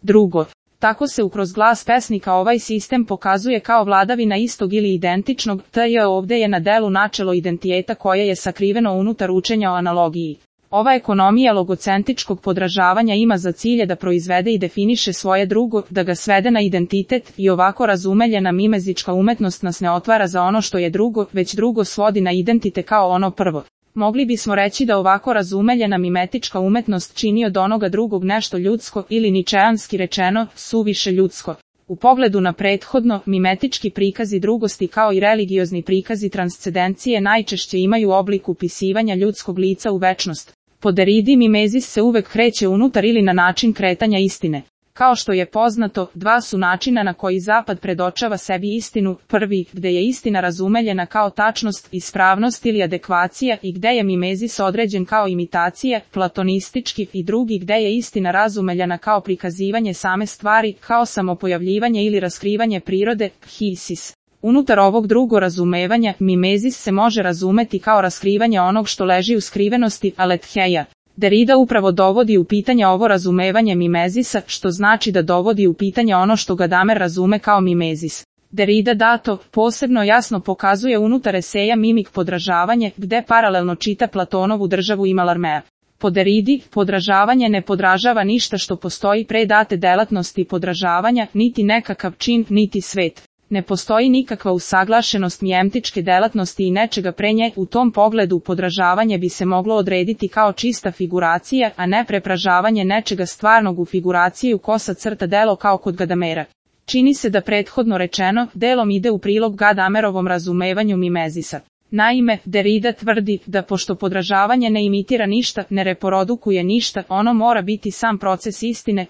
Drugo, tako se kroz glas pesnika ovaj sistem pokazuje kao vladavina istog ili identičnog, ovdje je na delu načelo identiteta koje je sakriveno unutar učenja o analogiji. Ova ekonomija logocentičkog podražavanja ima za cilje da proizvede i definiše svoje drugo, da ga svede na identitet, i ovako razumeljena mimezička umetnost nas ne otvara za ono što je drugo, već drugo svodi na identitet kao ono prvo. Mogli bismo reći da ovako razumeljena mimetička umetnost čini od onoga drugog nešto ljudsko ili ničeanski rečeno, suviše ljudsko. U pogledu na prethodno, mimetički prikazi drugosti kao i religiozni prikazi transcendencije najčešće imaju oblik upisivanja ljudskog lica u večnost. Po Deridi mimezis se uvek kreće unutar ili na način kretanja istine. Kao što je poznato, dva su načina na koji Zapad predočava sebi istinu, prvi, gde je istina razumeljena kao tačnost, ispravnost ili adekvacija i gde je mimezis određen kao imitacija, platonistički, i drugi gde je istina razumeljena kao prikazivanje same stvari, kao samopojavljivanje ili raskrivanje prirode, hisis. Unutar ovog drugo razumevanja, mimezis se može razumeti kao raskrivanje onog što leži u skrivenosti, aletheia. Derida upravo dovodi u pitanje ovo razumevanje mimezisa, što znači da dovodi u pitanje ono što Gadamer razume kao mimezis. Derida dato, posebno jasno pokazuje unutar eseja Mimik podražavanje, gde paralelno čita Platonovu državu i Malarmea. Po Deridi, podražavanje ne podražava ništa što postoji pre date delatnosti podražavanja, niti nekakav čin, niti svet. Ne postoji nikakva usaglašenost mijemtičke delatnosti i nečega pre nje, u tom pogledu podražavanje bi se moglo odrediti kao čista figuracija, a ne prepražavanje nečega stvarnog u figuraciju kosa crta delo kao kod Gadamera. Čini se da prethodno rečeno, delom ide u prilog Gadamerovom razumevanju mimezisa. Naime, Derida tvrdi da pošto podražavanje ne imitira ništa, ne reprodukuje ništa, ono mora biti sam proces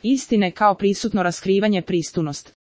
istine kao prisutno raskrivanje prisutnost.